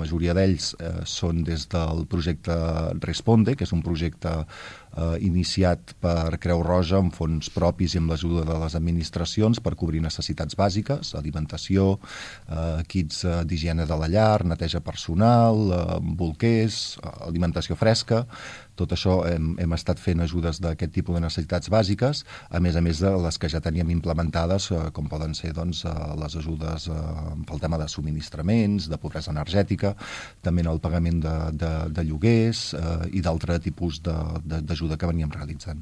majoria d'ells són des del projecte Responde, que és un projecte iniciat per Creu Roja amb fons propis i amb l'ajuda de les administracions per cobrir necessitats bàsiques, alimentació, kits d'higiene de la llar, neteja personal, bolquers, alimentació fresca. Tot això hem estat fent ajudes d'aquest tipus de necessitats bàsiques, a més de les que ja teníem implementades, com poden ser doncs, les ajudes pel tema de subministraments, de pobresa energètica, també en el pagament de lloguers i d'altre tipus d'ajuda que veníem realitzant.